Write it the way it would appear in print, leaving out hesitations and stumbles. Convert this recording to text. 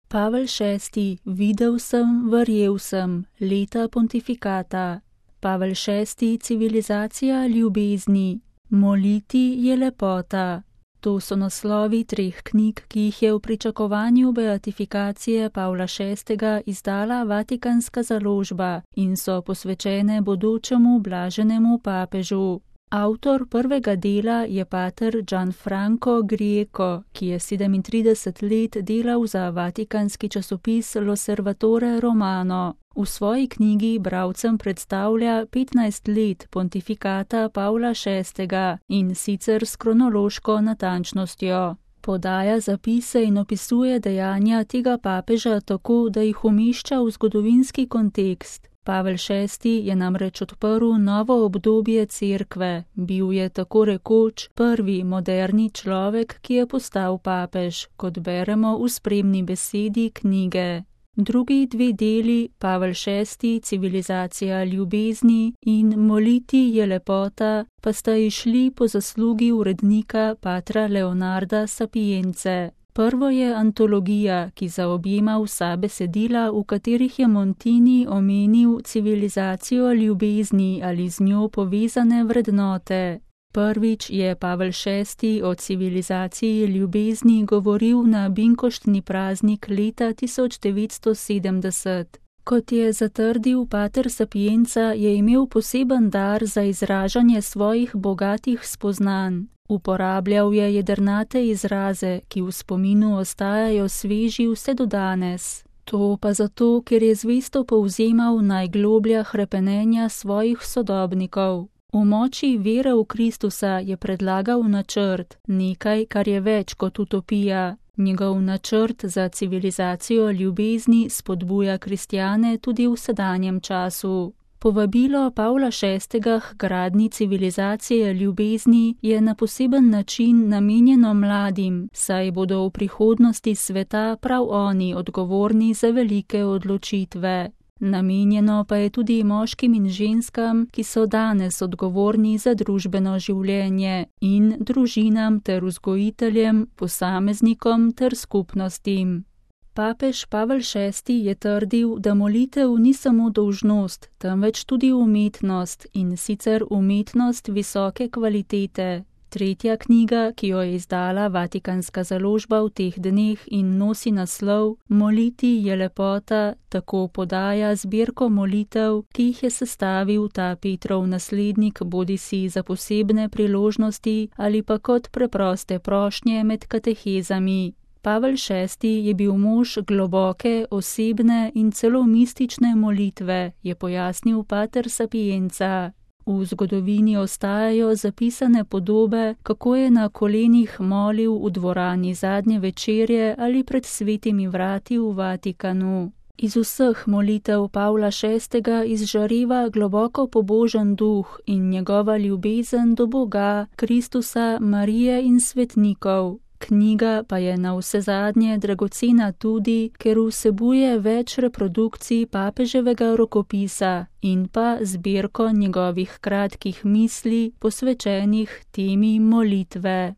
Pavel VI. Videl sem, verjel sem. Leta pontifikata. Pavel VI. Civilizacija ljubezni. Moliti je lepota. To so naslovi 3 knjig, ki jih je v pričakovanju beatifikacije Pavla VI. Izdala Vatikanska založba in so posvečene bodočemu blaženemu papežu. Avtor prvega dela je pater Gianfranco Grieco, ki je 37 let delal za vatikanski časopis L'Osservatore Romano. V svoji knjigi bralcem predstavlja 15 let pontifikata Pavla VI. In sicer s kronološko natančnostjo. Podaja zapise in opisuje dejanja tega papeža tako, da jih umešča v zgodovinski kontekst. Pavel VI. Je namreč odprl novo obdobje cerkve, bil je tako rekoč prvi moderni človek, ki je postal papež, kot beremo v spremni besedi knjige. Drugi 2 deli, Pavel VI. Civilizacija ljubezni in Moliti je lepota, pa sta izšli po zaslugi urednika patra Leonarda Sapience. Prvo je antologija, ki zaobjema vsa besedila, v katerih je Montini omenil civilizacijo ljubezni ali z njo povezane vrednote. Prvič je Pavel VI. O civilizaciji ljubezni govoril na binkoštni praznik leta 1970. Kot je zatrdil pater Sapienza, je imel poseben dar za izražanje svojih bogatih spoznanj. Uporabljal je jedrnate izraze, ki v spominu ostajajo sveži vse do danes. To pa zato, ker je zvesto povzemal najgloblja hrepenenja svojih sodobnikov. V moči vere v Kristusa je predlagal načrt, nekaj, kar je več kot utopija. Njegov načrt za civilizacijo ljubezni spodbuja kristjane tudi v sedanjem času. Povabilo Pavla VI. K gradnji civilizacije ljubezni je na poseben način namenjeno mladim, saj bodo v prihodnosti sveta prav oni odgovorni za velike odločitve. Namenjeno pa je tudi moškim in ženskam, ki so danes odgovorni za družbeno življenje, in družinam ter vzgojiteljem, posameznikom ter skupnostim. Papež Pavel VI. Je trdil, da molitev ni samo dolžnost, temveč tudi umetnost, in sicer umetnost visoke kvalitete. Tretja knjiga, ki jo je izdala Vatikanska založba v teh dneh in nosi naslov Moliti je lepota, tako podaja zbirko molitev, ki jih je sestavil ta Petrov naslednik bodisi za posebne priložnosti ali pa kot preproste prošnje med katehezami. Pavel VI. Je bil mož globoke, osebne in celo mistične molitve, je pojasnil pater Sapienza. V zgodovini ostajajo zapisane podobe, kako je na kolenih molil v dvorani zadnje večerje ali pred svetimi vrati v Vatikanu. Iz vseh molitev Pavla VI. Izžareva globoko pobožen duh in njegova ljubezen do Boga, Kristusa, Marije in svetnikov. Knjiga pa je navsezadnje dragocena tudi, ker vsebuje več reprodukcij papeževega rokopisa in pa zbirko njegovih kratkih misli, posvečenih temi molitve.